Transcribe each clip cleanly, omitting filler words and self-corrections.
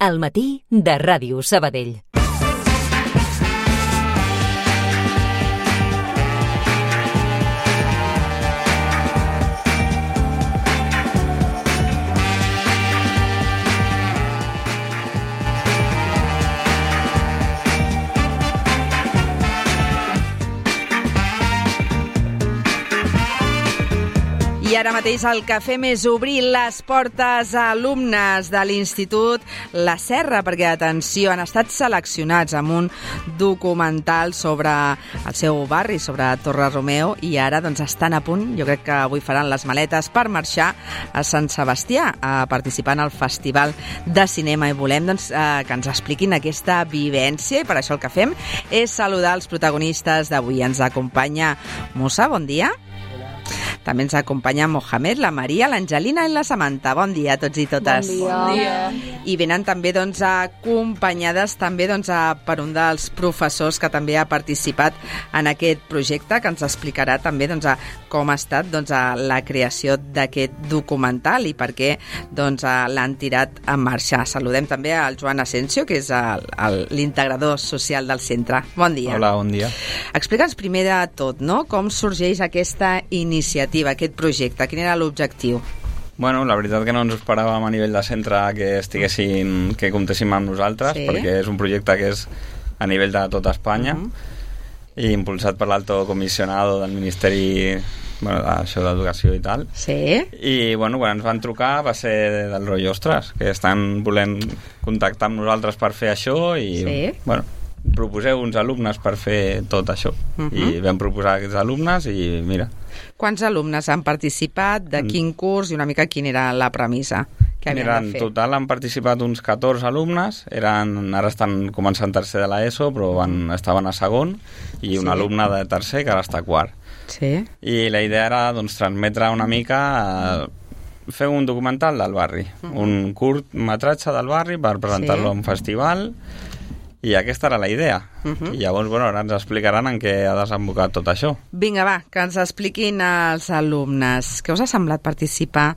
Al matí de Ràdio Sabadell. I ara mateix el que fem és obrir les portes a alumnes de l'Institut La Serra, perquè, atenció, han estat seleccionats amb un documental sobre el seu barri, sobre Torre Romeu, i ara doncs estan a punt, jo crec que avui faran les maletes per marxar a Sant Sebastià a participar en el Festival de Cinema, i volem doncs, que ens expliquin aquesta vivència, i per això el que fem és saludar els protagonistes d'avui. Ens acompanya Musa, bon dia. També ens acompanya Mohamed, la Maria, l'Angelina i la Samantha. Bon dia a tots i totes. Bon dia. I venen també acompanyades també per un dels professors que també ha participat en aquest projecte, que ens explicarà també com ha estat la creació d'aquest documental i per què l'han tirat en marxa. Saludem també al Joan Asensio, que és l'integrador social del centre. Bon dia. Hola, bon dia. Explica'ns primer de tot, no?, com sorgeix aquesta iniciativa, aquest projecte. Quin era l'objectiu? Bueno, la veritat que no ens esperàvem a nivell de centre que comptéssim amb nosaltres, sí, perquè és un projecte que és a nivell de tota Espanya, i impulsat per l'alto comissionado del Ministeri d'Educació i tal. Sí. I bueno, quan ens van trucar va ser del rotllo, ostres, que estan volent contactar amb nosaltres per fer això, i sí, bueno, proposeu uns alumnes per fer tot això. I vam proposar aquests alumnes i mira. Quants alumnes han participat, de quin curs i una mica quina era la premissa que havien de fer? En total han participat uns 14 alumnes, ara estan començant tercer de l'ESO, però estaven a segon, i un alumne de tercer que ara està a quart. Sí. I la idea era transmetre una mica, fer un documental del barri, un curt metratge del barri per presentar-lo a un festival. I aquesta era la idea. I llavors, ara ens explicaran en què ha desembocat tot això. Vinga, va, que ens expliquin els alumnes. Què us ha semblat participar,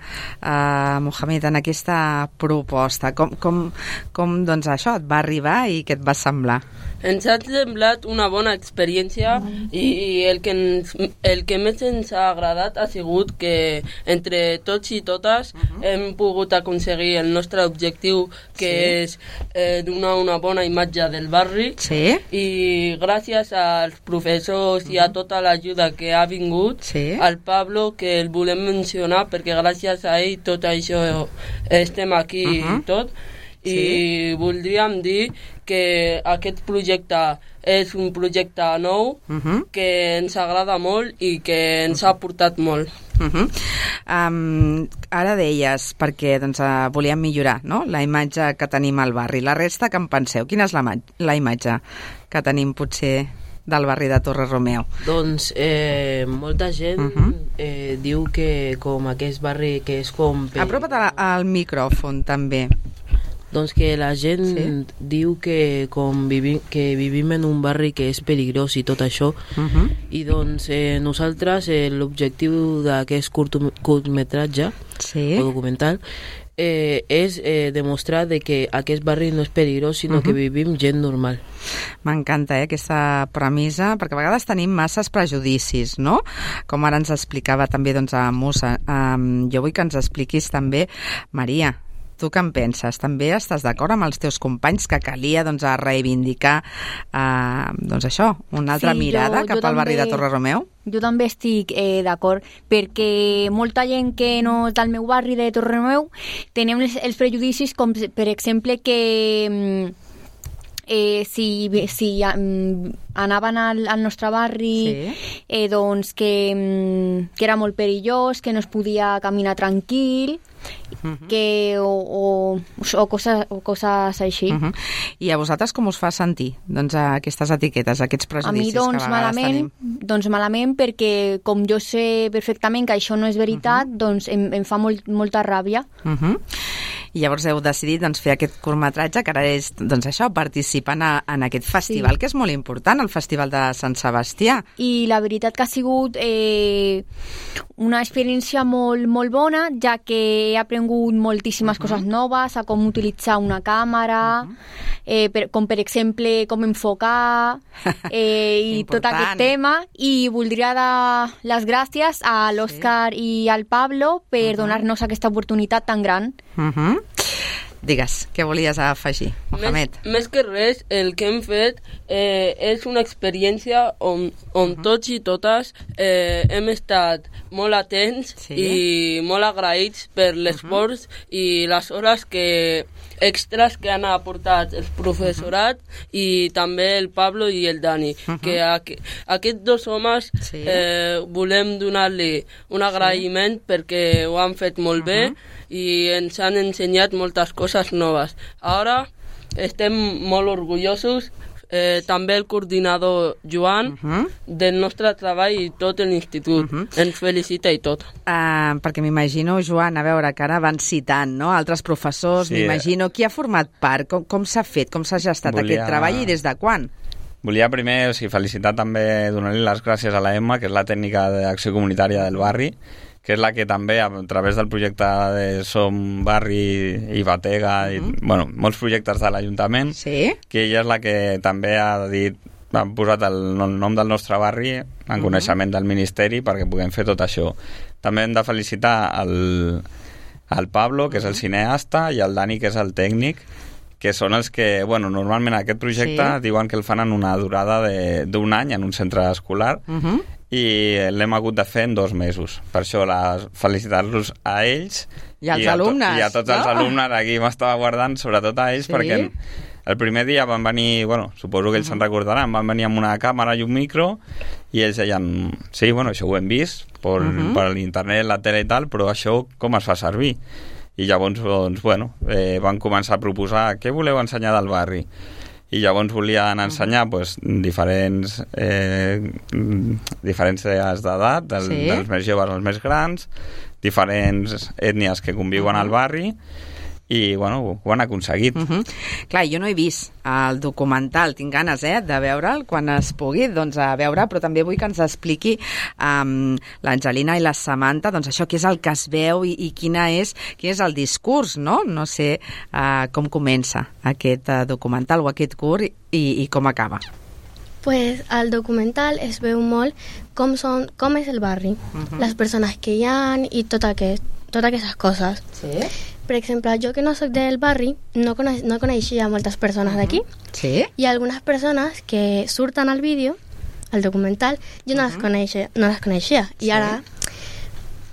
Mohamed, en aquesta proposta? Com això et va arribar i què et va semblar? Ens ha semblat una bona experiència, i el que més ens ha agradat ha sigut que entre tots i totes hem pogut aconseguir el nostre objectiu, que és donar una bona imatge del barri. Sí. I gràcies als professors i a tota l'ajuda que ha vingut, al Pablo, que el volem mencionar perquè gràcies a ell tot això estem aquí i tot. I voldríem dir que aquest projecte és un projecte nou, que ens agrada molt i que ens ha aportat molt. Ara deies, perquè volíem millorar, no?, la imatge que tenim al barri. La resta, què en penseu? Quina és la imatge que tenim potser del barri de Torre Romeu? Doncs molta gent diu que com aquest barri que és com... Apropa't al micròfon també. Doncs que la gent diu que vivim en un barri que és peligrós i tot això, i doncs nosaltres l'objectiu d'aquest curtmetratge o documental és demostrar que aquest barri no és peligrós, sinó que vivim gent normal. M'encanta aquesta premissa, perquè a vegades tenim masses prejudicis, no? Com ara ens explicava també a Musa. Jo vull que ens expliquis també, Maria, tu què en penses? També estàs d'acord amb els teus companys que calia reivindicar això, una altra mirada cap al barri de Torre Romeu? Jo també estic d'acord, perquè molta gent que no és del meu barri de Torre Romeu tenim els prejudicis, com per exemple que si anaven al nostre barri, doncs que era molt perillós, que no es podia caminar tranquil, o coses així. I a vosaltres com us fa sentir aquestes etiquetes, aquests prejudicis que a vegades tenim? Doncs malament, perquè com jo sé perfectament que això no és veritat, doncs em fa molta ràbia. I llavors heu decidit fer aquest curtmetratge, que ara és participant en aquest festival, que és molt important, el Festival de Sant Sebastià. I la veritat que ha sigut una experiència molt, molt bona, ja que he aprengut moltíssimes coses noves, a com utilitzar una càmera, com per exemple com enfocar i tot aquest tema, i voldria dar les gràcies a l'Òscar i al Pablo per donar-nos aquesta oportunitat tan gran. Digues, què volies afegir, Mohamed? Més que res, el que hem fet és una experiència on tots i totes hem estat molt atents i molt agraïts per l'esforç i les hores extras que han aportat el professorat i també el Pablo i el Dani, que aquests dos homes volem donar-li un agraïment perquè ho han fet molt bé i ens han ensenyat moltes coses noves. Ara estem molt orgullosos, també el coordinador Joan del nostre treball i tot l'institut ens felicita i tot. Perquè m'imagino, Joan, a veure, que ara van citant, no?, altres professors, m'imagino, qui ha format part, com s'ha fet, com s'ha gestat aquest treball i des de quan? Volia primer felicitar també, donar-li les gràcies a la Emma, que és la tècnica d'acció comunitària del barri, que és la que també, a través del projecte de Som Barri i Batega, i, molts projectes de l'Ajuntament, que ella és la que també ha posat el nom del nostre barri en coneixement del Ministeri perquè puguem fer tot això. També hem de felicitar el Pablo, que és el cineasta, i el Dani, que és el tècnic, que són els que, normalment aquest projecte diuen que el fan en una durada d'un any en un centre escolar, i l'hem hagut de fer en 2 mesos. Per això felicitar-los a ells i als alumnes. I a tots els alumnes. Aquí m'estava guardant, sobretot a ells, perquè el primer dia van venir, suposo que ells se'n recordaran, van venir amb una càmera i un micro i ells deien, sí, això ho hem vist per l'internet, la tele i tal, però això com es fa servir? I llavors, van començar a proposar què voleu ensenyar del barri? I llavors volien ensenyar diferents diferències d'edat, dels més joves als més grans, diferents ètnies que conviuen al barri, i ho han aconseguit. Clar, jo no he vist el documental, tinc ganes de veure'l quan es pugui a veure, però també vull que ens expliqui l'Angelina i la Samantha això què és el que es veu i quin és el discurs, no? No sé com comença aquest documental o aquest curt i com acaba. Pues al documental es veu molt com és el barri, les persones que hi ha i totes aquestes coses. Sí? Per exemple, jo que no soc del barri, no coneixia moltes persones d'aquí. Sí? I algunes persones que surten al vídeo, al documental, jo no les coneixia. I ara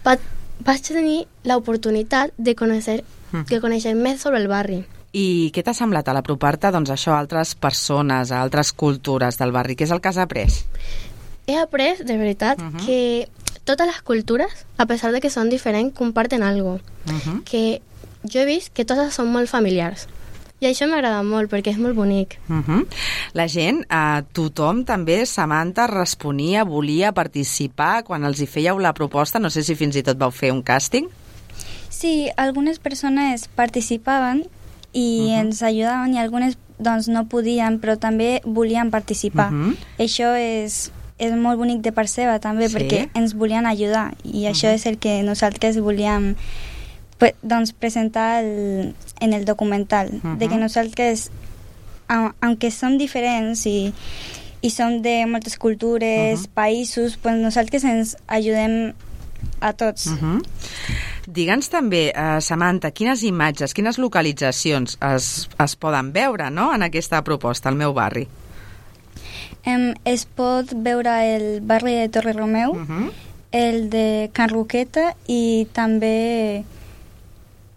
vaig tenir l'oportunitat de conèixer més sobre el barri. I què t'ha semblat a l'apropar-te a altres persones, a altres cultures del barri? Què és el que has après? He après, de veritat, que totes les cultures, a pesar de que són diferents, comparten algo. Que jo he vist que totes són molt familiars. I això m'agrada molt, perquè és molt bonic. La gent, tothom també, Samantha, responia, volia participar quan els hi fèieu la proposta. No sé si fins i tot vau fer un càsting. Sí, algunes persones participaven i ens ajudaven, i algunes no podien, però també volien participar. Això és molt bonic de part seva, també, perquè ens volien ajudar, i això és el que nosaltres volíem presentar en el documental, de que nosaltres, aunque som diferents i som de moltes cultures, països, pues nosaltres ens ajudem a tots. Digue'ns també, Samantha, quines imatges, quines localitzacions es poden veure, no?, en aquesta proposta, al meu barri? Es pot veure el barri de Torre Romeu, el de Can Roqueta i també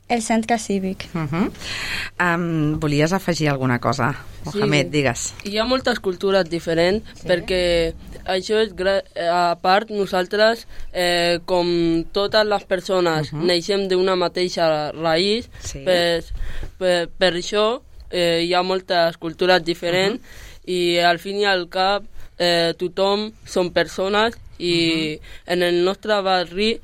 el centre cívic. Volies afegir alguna cosa? Mohamed, digues. Hi ha moltes cultures diferents, perquè això és, a part, nosaltres, com totes les persones, neixem d'una mateixa raïs, per això hi ha moltes cultures diferents, i al fin i al cap tothom són persones, i en el nostre barri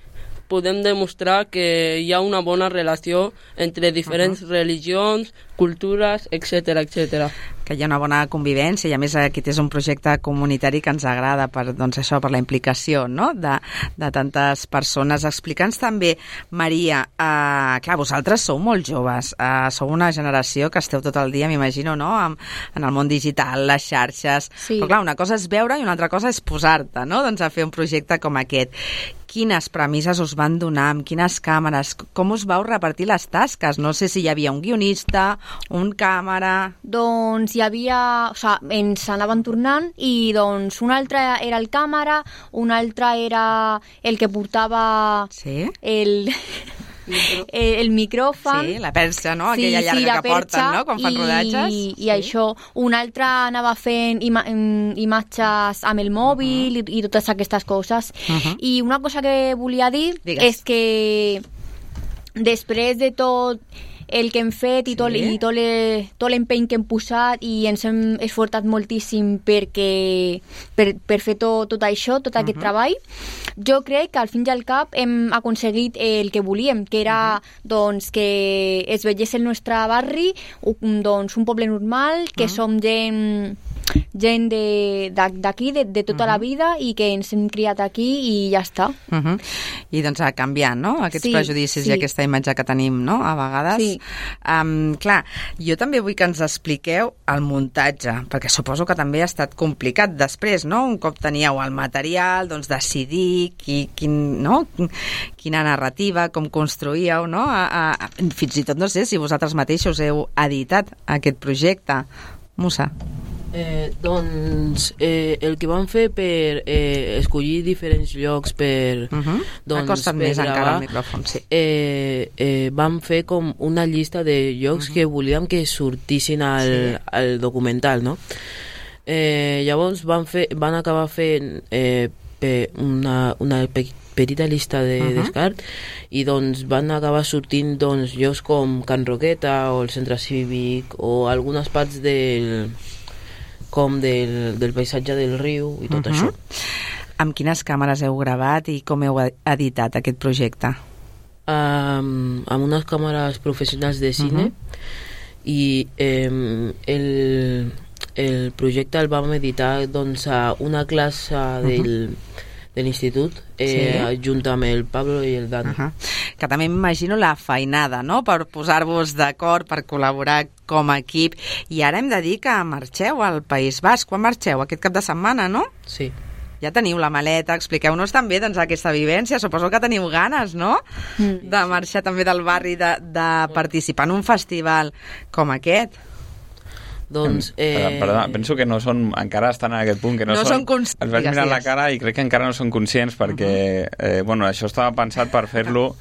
podem demostrar que hi ha una bona relació entre diferents religions, cultures, etc etc. Que hi ha una bona convivència i a més aquest és un projecte comunitari que ens agrada per, doncs això, per la implicació, no? de tantes persones. Explica'ns també, Maria, clar, vosaltres sou molt joves, sou una generació que esteu tot el dia, m'imagino, no? En el món digital, les xarxes, sí. Però clar, una cosa és veure i una altra cosa és posar-te, no? Doncs a fer un projecte com aquest. Quines premisses us van donar, amb quines càmeres, com us vau repartir les tasques? No sé si hi havia un guionista, un càmera... Doncs hi havia... O sigui, ens anaven tornant i doncs un altre era el càmera, un altre era el que portava el micròfon. Sí, la perxa, no? Aquella llarga que porten, no? Quan fan rodatges. I això. Un altre anava fent imatges amb el mòbil i totes aquestes coses. I una cosa que volia dir és que després de tot el que hem fet i tot l'empeny que hem posat i ens hem esforçat moltíssim per fer tot això, tot aquest treball, jo crec que al fin i al cap hem aconseguit el que volíem, que era doncs, que es veiés el nostre barri, doncs, un poble normal, que som gent d'aquí, de tota la vida i que ens hem criat aquí i ja està. I doncs ha canviat, no? Aquests prejudicis i aquesta imatge que tenim, no? A vegades. Sí. Clar, jo també vull que ens expliqueu el muntatge, perquè suposo que també ha estat complicat després, no? Un cop teníeu el material, doncs decidir quina narrativa, com construíeu, no? Fins i tot no sé si vosaltres mateixos heu editat aquest projecte. Musa. Doncs el que vam fer per escollir diferents llocs per acosta't més encara al micròfon, sí. Vam fer com una llista de llocs que volíem que sortissin al documental, no? Llavors van acabar fent una petita llista de descart i doncs van acabar sortint doncs, llocs com Can Roqueta o el Centre Cívic o algunes parts del paisatge del riu i tot això. Amb quines càmeres heu gravat i com heu editat aquest projecte? Amb unes càmeres professionals de cine i el projecte el vam editar doncs, a una classe de l'institut junt amb el Pablo i el Dani. Que també m'imagino la feinada, no?, per posar-vos d'acord, per col·laborar com a equip. I ara hem de dir que marxeu al País Basc. Quan marxeu? Aquest cap de setmana, no? Sí. Ja teniu la maleta, expliqueu-nos també doncs, aquesta vivència. Suposo que teniu ganes, no?, de marxar també del barri, de participar en un festival com aquest. Doncs, perdona, penso que no són, encara estan en aquest punt, que no són conscients. Els vaig mirar la cara i crec que encara no són conscients perquè, bueno, això estava pensat per fer-lo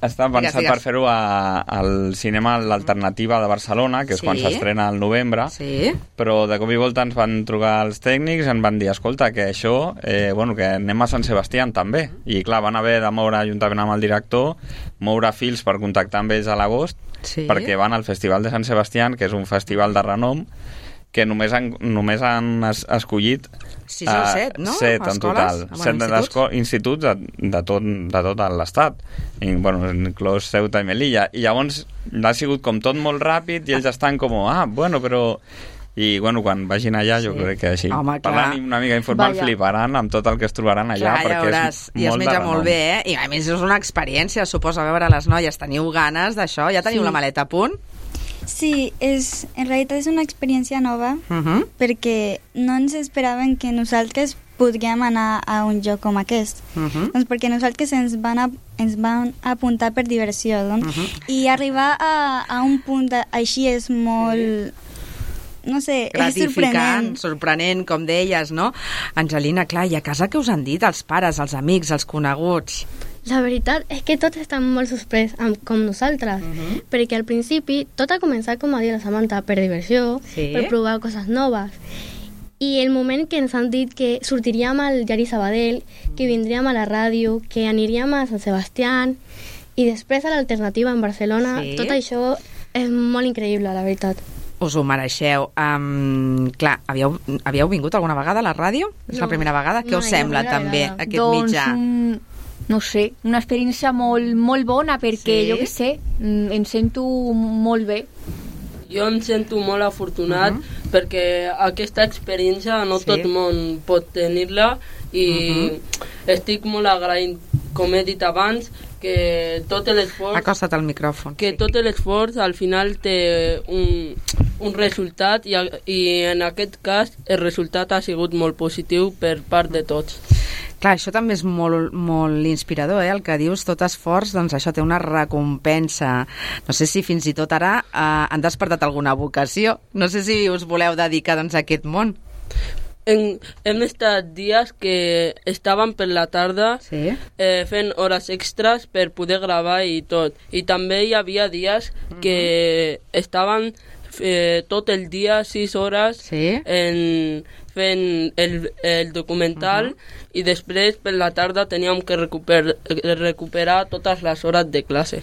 per fer-ho al cinema l'Alternativa de Barcelona, que és quan s'estrena al novembre, però de cop i volta ens van trucar els tècnics i ens van dir, escolta, que això, bueno, que anem a Sant Sebastià també, i clar, van haver de moure, juntament amb el director, moure fils per contactar amb ells a l'agost, perquè van al Festival de Sant Sebastià, que és un festival de renom, que només han escollit 6 o 7, no? 7 en total. 7 instituts de tot l'estat. I, bueno, inclòs Ceuta i Melilla. I llavors ha sigut com tot molt ràpid i ells estan com, bueno, però... I, bueno, quan vagin allà, jo crec que així, parlant una mica informal, fliparan amb tot el que es trobaran allà, perquè és molt de renom. I es menja molt bé, I a més és una experiència, suposo, a veure les noies. Teniu ganes d'això? Ja teniu la maleta a punt? Sí, en realitat és una experiència nova, perquè no ens esperaven que nosaltres podríem anar a un lloc com aquest. Doncs perquè nosaltres ens van apuntar per diversió, doncs. I arribar a un punt així és molt... No sé, gratificant, sorprenent, com deies, no? Angelina, clar, i a casa què us han dit els pares, els amics, els coneguts? La veritat és que tots estan molt sorprès com nosaltres, perquè al principi tot ha començat, com ha dit la Samantha, per diversió, per provar coses noves. I el moment que ens han dit que sortiríem al diari Sabadell, que vindríem a la ràdio, que aniríem a Sant Sebastià i després a l'Alternativa en Barcelona, tot això és molt increïble, la veritat. Us ho mereixeu. Clar, havíeu vingut alguna vegada a la ràdio? És la primera vegada? Què us sembla també aquest mitjà? no sé, una experiència molt bona perquè, jo què sé, em sento molt bé. Jo em sento molt afortunat perquè aquesta experiència no tot el món pot tenir-la i estic molt agraït, com he dit abans, que tot l'esforç... Acosta't al micròfon. Que tot l'esforç al final té un resultat i en aquest cas el resultat ha sigut molt positiu per part de tots. Clar, això també és molt inspirador, el que dius, tot esforç, doncs això té una recompensa. No sé si fins i tot ara han despertat alguna vocació. No sé si us voleu dedicar doncs, a aquest món. Hem estat dies que estàvem per la tarda fent hores extras per poder gravar i tot. I també hi havia dies que estaven tot el dia 6 hores fent el documental i després per la tarda teníem que recuperar totes les hores de classe.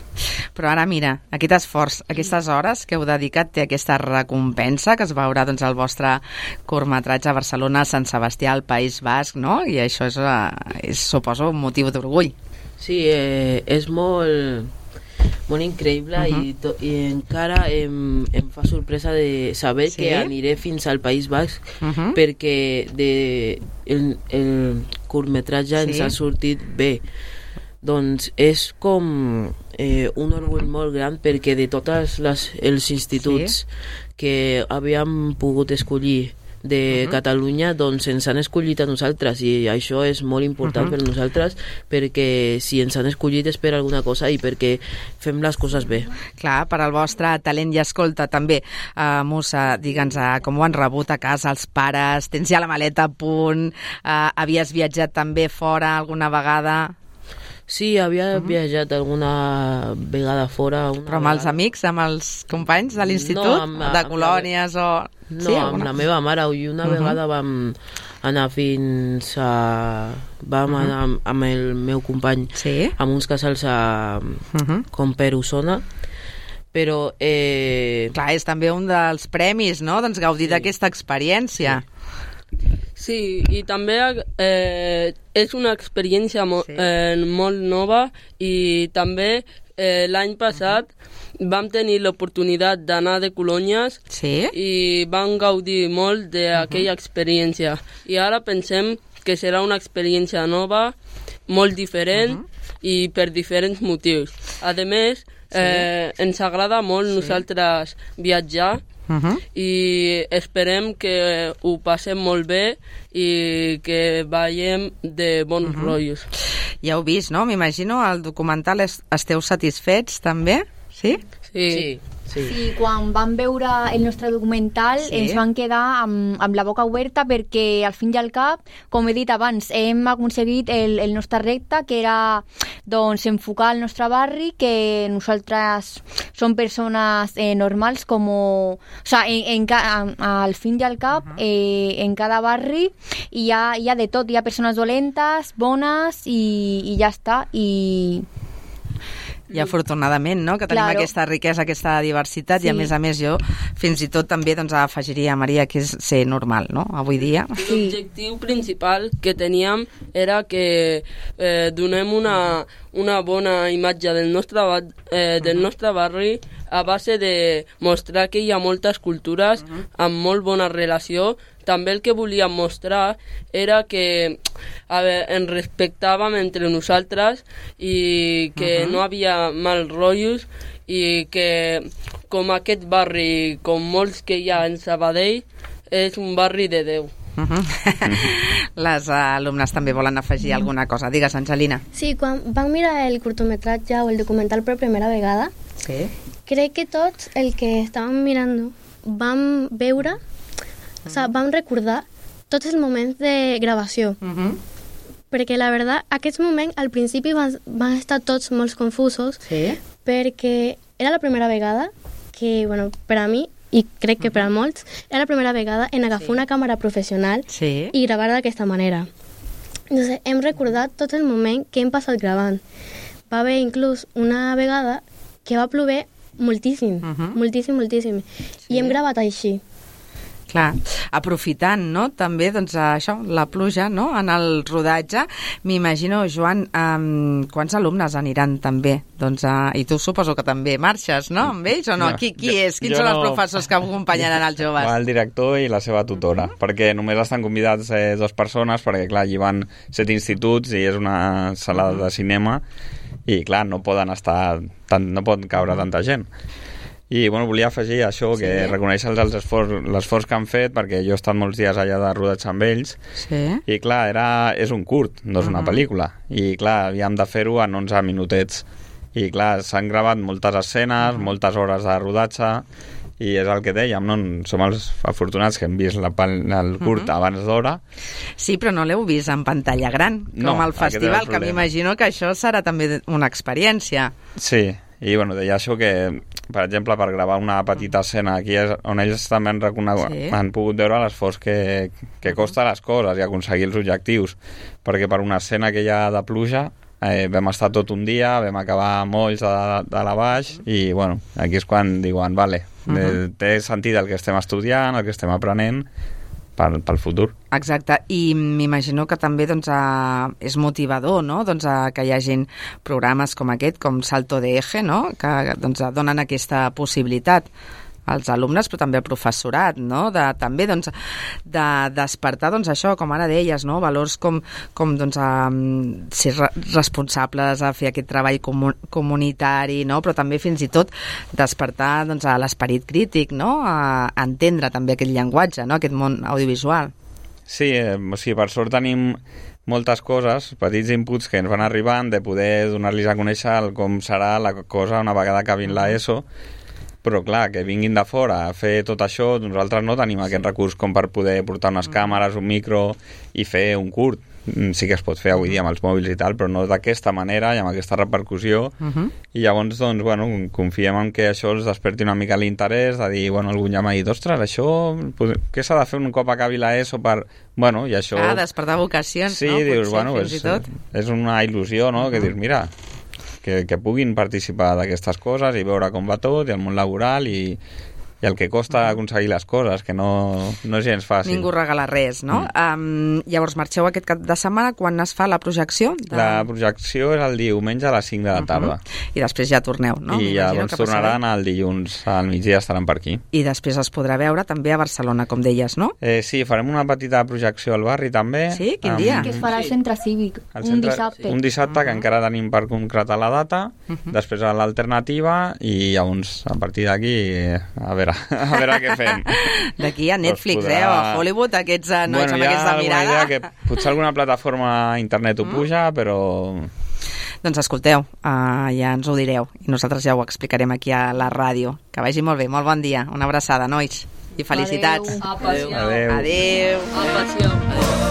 Però ara mira, aquest esforç, aquestes hores que heu dedicat té aquesta recompensa que es veurà doncs, al vostre curtmetratge a Barcelona, Sant Sebastià, al País Basc, no? I això és suposo, un motiu d'orgull. Sí, és molt increïble i encara em fa sorpresa de saber que aniré fins al País Basc perquè el curtmetratge ens ha sortit bé. Doncs és com un orgull molt gran perquè de tots els instituts que havíem pogut escollir de Catalunya, doncs ens han escollit a nosaltres i això és molt important per nosaltres perquè si ens han escollit és per alguna cosa i perquè fem les coses bé. Clar, per al vostre talent. I escolta, també, Musa, digue'ns com ho han rebut a casa els pares, tens ja la maleta a punt, havies viatjat també fora alguna vegada? Sí, havia viatjat alguna vegada fora. Però amb els amics, amb els companys de l'institut? De colònies o... No, amb la meva mare. I una vegada vam anar fins a... Vam anar amb el meu company amb uns casals com per Osona. Però... Clar, és també un dels premis, no? Doncs gaudir d'aquesta experiència. Sí, i també és una experiència molt nova i també l'any passat vam tenir l'oportunitat d'anar de colònies i vam gaudir molt d'aquella experiència. I ara pensem que serà una experiència nova, molt diferent i per diferents motius. A més, ens agrada molt nosaltres viatjar i esperem que ho passem molt bé i que veiem de bons rotllos. Ja heu vist, no? M'imagino, el documental esteu satisfets també? Sí? Sí. Sí, quan vam veure el nostre documental ens van quedar amb la boca oberta perquè al fin i al cap, com he dit abans, hem aconseguit el nostre repte, que era doncs, enfocar el nostre barri, que nosaltres som persones normals, al fin i al cap, en cada barri hi ha de tot, hi ha persones dolentes, bones i ja està, i afortunadament, no?, que tenim aquesta riquesa, aquesta diversitat, i a més jo fins i tot també afegiria, Maria, que és ser normal, no?, avui dia. L'objectiu principal que teníem era que donem una bona imatge del nostre barri a base de mostrar que hi ha moltes cultures amb molt bona relació. També el que volíem mostrar era que ens respectàvem entre nosaltres i que no havia mal rotllos i que com aquest barri, com molts que hi ha en Sabadell, és un barri de Déu. Les alumnes també volen afegir alguna cosa. Digues, Angelina. Sí, quan vam mirar el curtmetratge o el documental per primera vegada, crec que tots el que estàvem mirant vam veure, vam recordar tots els moments de gravació. Perquè la veritat, aquests moments al principi van estar tots molt confusos perquè era la primera vegada que, per a mi, i crec que per a molts, era la primera vegada en agafar una càmera professional i gravar d'aquesta manera. Entonces, hem recordat tot el moment que hem passat gravant. Va haver inclús una vegada que va plover moltíssim, moltíssim. I hem gravat així. Clar, aprofitant, no?, també, doncs, això, la pluja, no?, en el rodatge. M'imagino, Joan, quants alumnes aniran també? Doncs, i tu suposo que també marxes, no?, amb ells, o no? Qui és? Quins són els professors que acompanyaran els joves? El director i la seva tutora, perquè només estan convidats 2 persones, perquè, clar, allí van 7 instituts i és una sala de cinema i, clar, no poden estar... no pot caure tanta gent. I, bueno, volia afegir això, que reconèixer l'esforç que han fet, perquè jo he estat molts dies allà de rodatge amb ells, i, clar, és un curt, no és una pel·lícula, i, clar, havíem de fer-ho en 11 minutets. I, clar, s'han gravat moltes escenes, moltes hores de rodatge, i és el que dèiem, no? Som els afortunats que hem vist el curt abans d'hora. Sí, però no l'heu vist en pantalla gran, com al festival, que m'imagino que això serà també una experiència. Sí, i bueno, deia això que, per exemple, per gravar una petita escena aquí és on ells també han pogut veure l'esforç que costa les coses i aconseguir els objectius, perquè per una escena que hi ha de pluja vam estar tot un dia, vam acabar molls de la baix i, bueno, aquí és quan diuen, vale, té sentit el que estem estudiant, el que estem aprenent pel futur. Exacte, i m'imagino que també, doncs, és motivador, no?, doncs, que hi hagin programes com aquest, com Salto de Eje, no?, que, doncs, donen aquesta possibilitat als alumnes, però també al professorat, no?, també, doncs, de despertar, doncs, això, com ara deies, no?, valors com doncs, ser responsables a fer aquest treball comunitari, no?, però també fins i tot despertar, doncs, a l'esperit crític, no?, a entendre també aquest llenguatge, no?, aquest món audiovisual. Sí, per sort tenim moltes coses, petits inputs que ens van arribant, de poder donar-los a conèixer com serà la cosa una vegada acabin l'ESO, però clar, que vinguin de fora a fer tot això, nosaltres no tenim aquest recurs com per poder portar unes càmeres, un micro i fer un curt. Sí que es pot fer avui dia amb els mòbils i tal, però no d'aquesta manera i amb aquesta repercussió. I llavors, doncs, bueno, confiem en que això els desperti una mica l'interès de dir, bueno, algun ja m'ha dit, ostres, això, què s'ha de fer un cop acabi l'ESO per... Bueno, i això... despertar vocacions, sí, no? Sí, dius, potser, bueno, fins i tot. És una il·lusió, no?, que dius, mira... Que puguin participar d'aquestes coses i veure com va tot, i el món laboral i el que costa aconseguir les coses, que no és gens fàcil. Ningú regala res, no? Llavors marxeu aquest cap de setmana, quan es fa la projecció? La projecció és el diumenge a les 5 de la tarda. I després ja torneu, no? I llavors tornaran el dilluns al migdia, estaran per aquí. I després es podrà veure també a Barcelona, com deies, no? Sí, farem una petita projecció al barri també. Sí? Quin dia? Que es farà al centre cívic, un dissabte. Un dissabte que encara tenim per concretar la data, després a l'alternativa i llavors a partir d'aquí a veure què fem. D'aquí a Netflix, o a Hollywood, aquests nois amb aquesta mirada. Hi ha alguna idea que potser alguna plataforma a internet ho puja, però... Doncs escolteu, ja ens ho direu i nosaltres ja ho explicarem aquí a la ràdio. Que vagi molt bé, molt bon dia. Una abraçada, nois. I felicitats. Adéu. Adéu. Adéu. Adéu.